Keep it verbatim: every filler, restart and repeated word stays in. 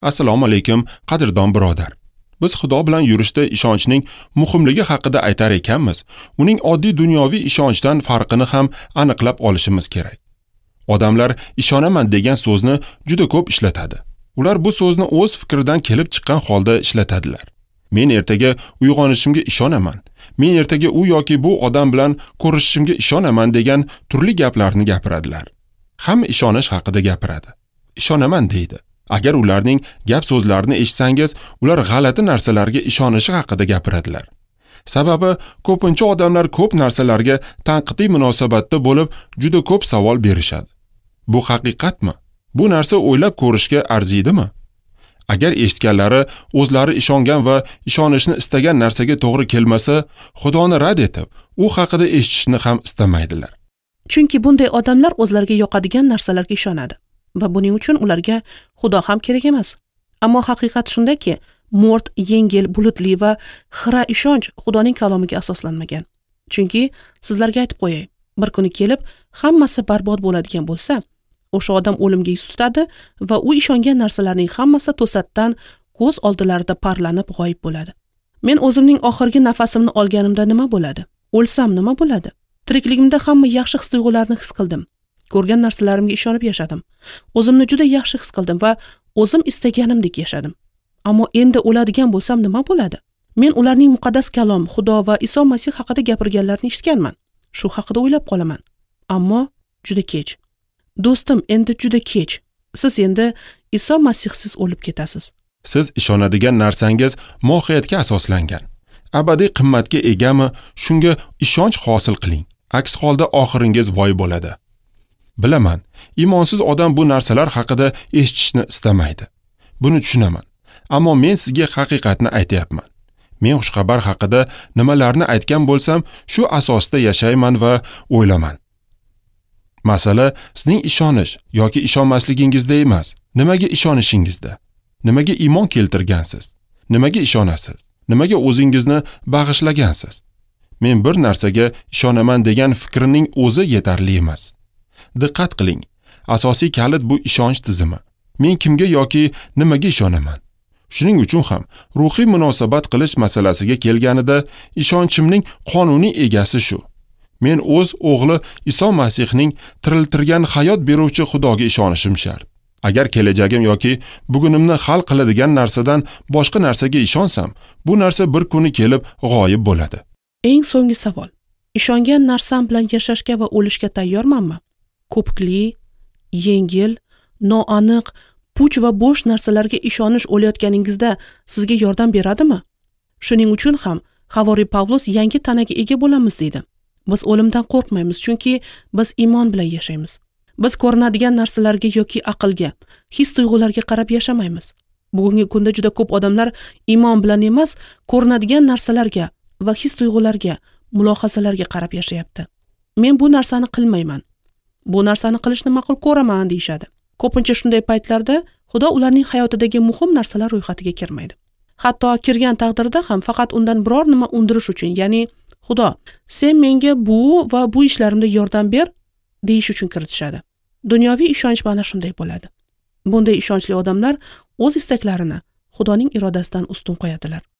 Assalomu alaykum, qadrdon birodar. Biz Xudo bilan yurishda ishonchning muhimligi haqida aytar ekanmiz, uning oddiy dunyoviy ishonchdan farqini ham aniqlab olishimiz kerak. Odamlar ishonaman degan so'zni juda ko'p ishlatadi. Ular bu so'zni o'z fikridan kelib chiqqan holda ishlatadilar. Men ertaga uyg'onishimga ishonaman. Men ertaga u yoki bu odam bilan ko'rishishimga ishonaman degan turli gaplarni gapiradilar. Hamma ishonish haqida gapiradi. Ishonaman deydi. Agar ularning gap so'zlarini eshitsangiz, ular g'alati narsalarga ishonishi haqida gapiradilar. Sababi ko'pincha odamlar ko'p narsalarga tanqidiy munosabatda bo'lib, juda ko'p savol berishadi. Bu haqiqatmi? Bu narsa o'ylab ko'rishga arziydimi? Agar eshitganlari o'zlari ishongan va ishonishni istagan narsaga to'g'ri kelmasa, Xudoni rad etib, u haqida eshitishni ham istamaydilar. Chunki bunday odamlar o'zlariga yoqadigan narsalarga ishonadi va buning uchun ularga Xudo ham kerak emas. Ammo haqiqat shundaki, mo'rt, yengil, bulutli va xira ishonch Xudoning kalomiga asoslanmagan. Chunki sizlarga aytib qo'yay, bir kuni kelib hammasi barbod bo'ladigan bo'lsa, o'sha odam o'limga yuz tutadi va u ishongan narsalarning hammasi to'satdan ko'z oldilarida parlanib g'oyib bo'ladi. Men o'zimning oxirgi nafasimni olganimda nima bo'ladi? O'lsam nima bo'ladi? Tirikligimda hamma yaxshi his-tuyg'ularni his qildim. Ko'rgan narsalarimga ishonib yashadim. O'zimni juda yaxshi his qildim va o'zim istaganimdek yashadim. Ammo endi o'ladigan bo'lsam nima bo'ladi? Men ularning muqaddas kalom, Xudo va Iso Masih haqida gapirganlarini eshitganman. Shu haqida o'ylab qolaman. Ammo juda kech. Do'stim, endi juda kech. Siz endi Iso Masihsiz o'lib ketasiz. Siz ishonadigan narsangiz mohiyatga asoslangan. Abadiy qimmatga egami, shunga ishonch hosil qiling. Aks holda oxiringiz voy bo'ladi. Bilaman, iymonsiz odam bu narsalar haqida eshitishni istamaydi. Buni tushunaman. Ammo men sizga haqiqatni aytayapman. Men xushxabar haqida nimalarni aytgan bo'lsam, shu asosda yashayman va o'ylaman. Masala sizning ishonish yoki ishonmasligingizda emas, nimaga ishonishingizda. Nimaga iymon keltirgansiz? Nimaga ishonasiz? Nimaga o'zingizni bag'ishlagansiz? Men bir narsaga ishonaman degan fikrining o'zi yetarli emas. Diqqat qiling. Asosiy kalit bu ishonch tizimi. Men kimga yoki nimaga ishonaman? Shuning uchun ham ruhiy munosabat qilish masalasiga kelganida ishonchimning qonuniy egasi shu. Men o'z o'g'li Iso Masihning tiriltirgan hayot beruvchi Xudoga ishonishim shart. Agar kelajagim yoki bugunimni hal qiladigan narsadan boshqa narsaga ishonsam, bu narsa bir kuni kelib g'oyib bo'ladi. Eng so'nggi savol. Ishongan narsam bilan yashashga va o'lishga tayyormanmi? Ko'pikli, yengil, noaniq, puch va bo'sh narsalarga ishonish o'layotganingizda sizga yordam beradimi? Shuning uchun ham Havoriy Pavlus yangi tanaga ega bo'lamiz deydi. Biz o'limdan qo'rqmaymiz, chunki biz iymon bilan yashaymiz. Biz ko'rinadigan narsalarga yoki aqlga, his-tuyg'ularga qarab yashamaymiz. Bugungi kunda juda ko'p odamlar iymon bilan emas, ko'rinadigan narsalarga va his-tuyg'ularga, mulohazalarga qarab yashayapti. Men bu narsani qilmayman. Bu narsani qilishni ma'qul ko'raman deyishadi. Ko'pincha shunday paytlarda Xudo ularning hayotidagi muhim narsalar ro'yxatiga kirmaydi. Hatto kirgan taqdirda ham faqat undan biror nima undirish uchun, ya'ni Xudo, sen menga bu va bu ishlarimda yordam ber deyish uchun kiritishadi. Dunyoviy ishonch mana shunday bo'ladi. Bunday ishonchli odamlar o'z istaklarini Xudoning irodasidan ustun qo'yadilar.